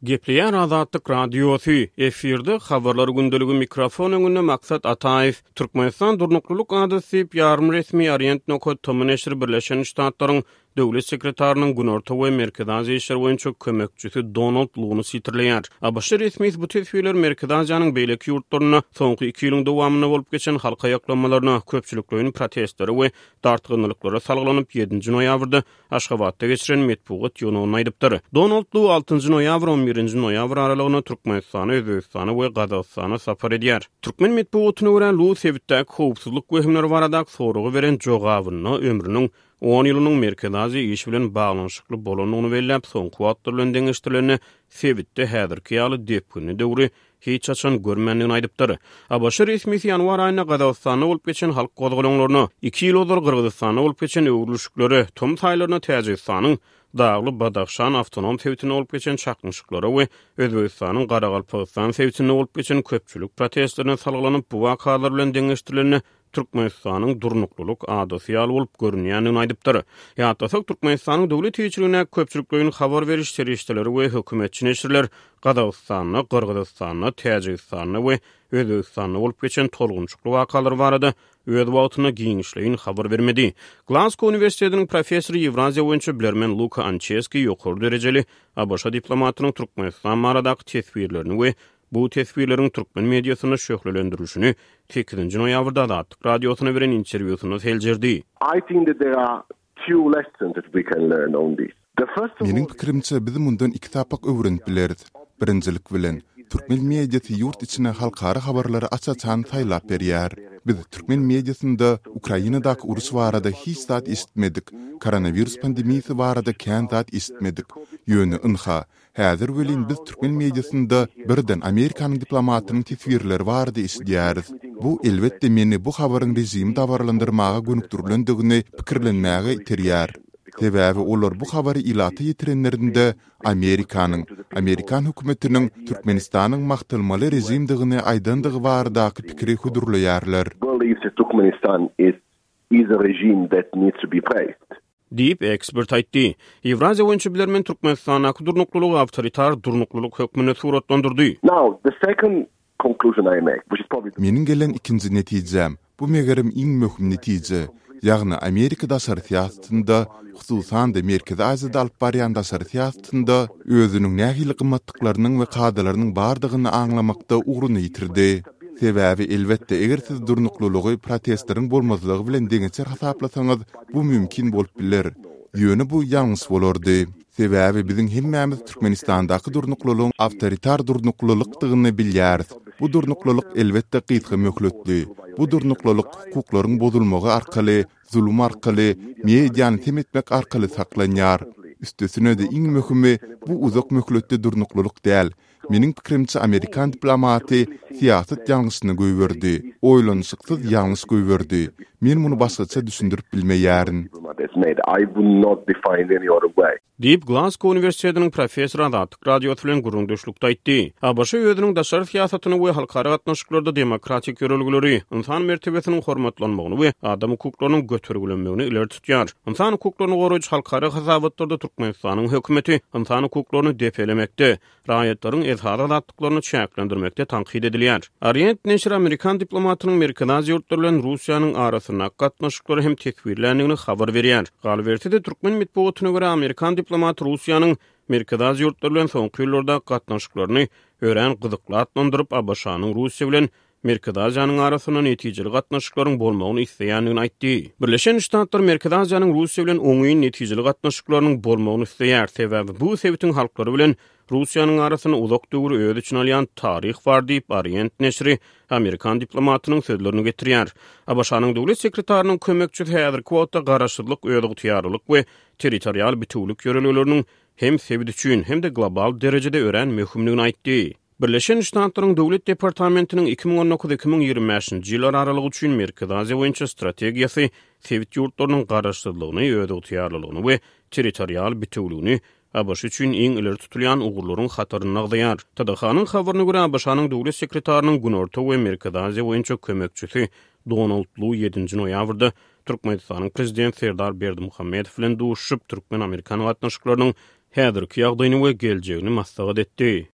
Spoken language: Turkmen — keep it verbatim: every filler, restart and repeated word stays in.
Gepleýär Azatlyk Radiosy, efirde habarlar gündeligi mikrofon öňünde Maksat Ataýew. Türkmenistan durnuklylyk adasy diýip ýarym resmi Orient nokat tom neşiri Birleşen Ştatlaryň Döwlet sekretarynyň Günorta we Merkezi Aziýa işleri boýunça kömekçisi Donald Luny sitirleýär. A B Ş resmisi bu teswirler Merkezi Aziýanyň beýleki ýurtlarynda soňky iki ýylyň dowamynda bolup geçen halk aýaklanmalaryna, köpçülikleýin protestlere we dartgynlyklara salgylanyp ýedinji noýabrda Aşgabatda geçiren metbugat ýygnagynda aýdypdyr. Donald Lu altynjy noýabr on birinji noýabr aralygynda Türkmenistana, Özbegistana we Gazagystana sapar edýär. Türkmen metbugatyna görä, Lu sebitdäki howpsuzlyk wehimleri baradaky soraga beren jogabynda ömrüniň on ýylynyň Merkezi Aziýa işi bilen baglanyşykly bolandygyny belläp, soňky wagtlar bilen deňeşdirilende sebitde häzirki ýaly depginli döwri hiç haçan görmändigini aýdypdyr. A B Ş resmisi ýanwar aýynda Gazagystanda bolup geçen halk gozgalaňlaryna, iki ýyl ozal Gyrgyzystanda bolup geçen öwrülişiklere, tomus aýlarynda Täjigistanyň Dagly Badahşan awtonom sebitinde bolup geçen çaknyşyklara we Özbegistanyň Garagalpagystan sebitinde bolup geçen köpçülik protestlerine salgylanyp, bu wakalar bilen deňeşdirilende Türkmenistanyň durnuklylyk adasy ýaly bolup görünýändigini aýdypdyr. Ýatlasak, Türkmenistanyň döwlet eýeçiligindäki köpçülikleýin habar beriş serişdeleri we hökümetçi neşirler Gazagystanda, Gyrgyzystanda, Täjigistanda we Özbegistanda bolup geçen tolgunçukly wakalar barada öz wagtynda giňişleýin habar bermedi. Glasgow uniwersitetiniň professory, Ýewraziýa boýunça bilermen Luka Ançeski ýokary derejeli A B Ş diplomatynyň Türkmenistan baradaky teswirlerini we bu teswirleriň türkmen mediasynda şöhlelendirilişini sekizinji noýabrda Azatlyk Radiosyna beren interwýusynda seljerdi. I think that there are two lessons that we can learn on this. The first of Meniň pikirimçe, biz mundan iki sapak öwrenip bileris. Birinjilik bilen, türkmen mediasy ýurt içine halkara habarlary aç-açan saýlap berýär. Biz türkmen mediasynda Ukrainadaky uruş barada hiç zat eşitmedik, koronawirus pandemiýasy barada kän zat eşitmedik. Ýöne ynha, häzir welin biz türkmen mediasynda birden Amerikanyň diplomatynyň teswirleri barada eşidýäris. Bu elbetde meni bu habaryň režimi dabaralandyrmaga gönükdirilendigini pikirlenmäge iterýär. Sebäbi olar bu habary ilata ýetirenlerinde Amerikanyň, Amerikan hökümetiniň Türkmenistanyň magtalmaly režimdigini aýdandygy baradaky pikiri hödürleýärler. Believes that Turkmenistan is is a regime that needs to be praised. Diýip ekspert aýtdy. Ýewraziýa boýunça bilermen Türkmenistandaky durnuklylygy awtoritar durnuklylyk hökmünde suratlandyrdy. Now, the second conclusion I make, which is probably Meniň gelen ikinji netijem, bu megerem iň möhüm netije, ýagny Amerika daşary syýasatynda, hususan-da Merkezi Aziýada alyp barýan daşary syýasatynda özüniň nähili gymmatlyklarynyň we kadalarynyň bardygyny aňlamakda ugruny ýitirdi. Sebäbi elbetde eger siz durnuklylygy protestleriň bolmazlygy bilen deňeçer hasaplasaňyz, bu mümkin bolup biler. Ýöne bu ýalňyş bolardy. Sebäbi biziň hemmämiz Türkmenistandaky durnuklylygyň awtoritar durnuklylykdygyny bilýäris. Bu durnuklylyk elbetde gysga möhletli. Bu durnuklylyk hukuklaryň bozulmagy arkaly, zulum arkaly, mediany sem etmek arkaly saklanýar. Üstesine-de iň möhümi bu uzak möhletli durnuklylyk däl. Meniň pikirimçe, Amerikan diplomaty syýasat ýalňyşyny goýberdi. Oýlanyşyksyz ýalňyş goýberdi. Men muny başgaça düşündirip bilmeýärin. I would not define any other way. Diýip Glasgow uniwersitetiniň professory Azatlyk Radiosy bilen gürrüňdeşlikde aýtdy. A B Ş özüniň daşary syýasatyny we halkara gatnaşyklarda demokratik ýörelgeleri, ynsan mertebesiniň hormatlanmagyny we adam hukuklarynyň götergilenmegini ileri tutýar. Ynsan hukuklaryny goraýjy halkara hasabatlarda Türkmenistanyň hökümeti ynsan hukuklaryny depelemekde, raýatlaryň esasy azatlyklaryny çäklendirmekde tankyt edilýär. Orient neşiri Amerikan diplomatynyň Merkezi Aziýa ýurtlary bilen Russiýanyň arasyndaky gatnaşyklary hem teswirländigini habar berýär. Galyberse-de, türkmen metbugatyna görä, Amerikan diplomaty Russiýanyň Merkezi Aziýa ýurtlary bilen soňky ýyllarda gatnaşyklaryny örän gyzykly atlandyryp, A B Ş-nyň Russiýa bilen Merkezi Aziýanyň arasynda netijeli gatnaşyklaryň bolmagyny isleýändigini aýtdy. Birleşen Ştatlar Merkezi Aziýanyň Russiýa bilen oňyn netijeli gatnaşyklarynyň bolmagyny isleýär. Sebäbi bu sebitiň halklary bilen Russiýanyň arasynda uzak döwri öz içine alýan taryh bar diýip Orient neşiri Amerikan diplomatynyň sözlerini getirýär. A B Ş-nyň döwlet sekretarynyň kömekçisi häzirki wagtda garaşsyzlyk, özygtyýarlylyk we territorial bitewülik ýörelgeleriniň hem sebit üçin hem-de global derejede örän möhümdigini aýtdy. Birleşen Ştatlaryň Döwlet departamentiniň iki müň on dokuz-iki müň ýigrimi bäşinji ýyllar aralygy üçin Merkezi Aziýa boýunça strategiýasy sebit ýurtlarynyň garaşsyzlygyny, özygtyýarlylygyny we territorial bitewüligini A B Ş üçin iň ileri tutulýan ugurlaryň hatarynda agzaýar. T D H-nyň habaryna görä, A B Ş-nyň döwlet sekretarynyň Günorta we Merkezi Aziýa boýunça kömekçisi Donald Lu ýedinji noýabrda Türkmenistanyň prezidenti Serdar Berdimuhamedow bilen duşuşyp, türkmen-amerikan gatnaşyklarynyň häzirki ýagdaýyny we geljegini maslahat etdi.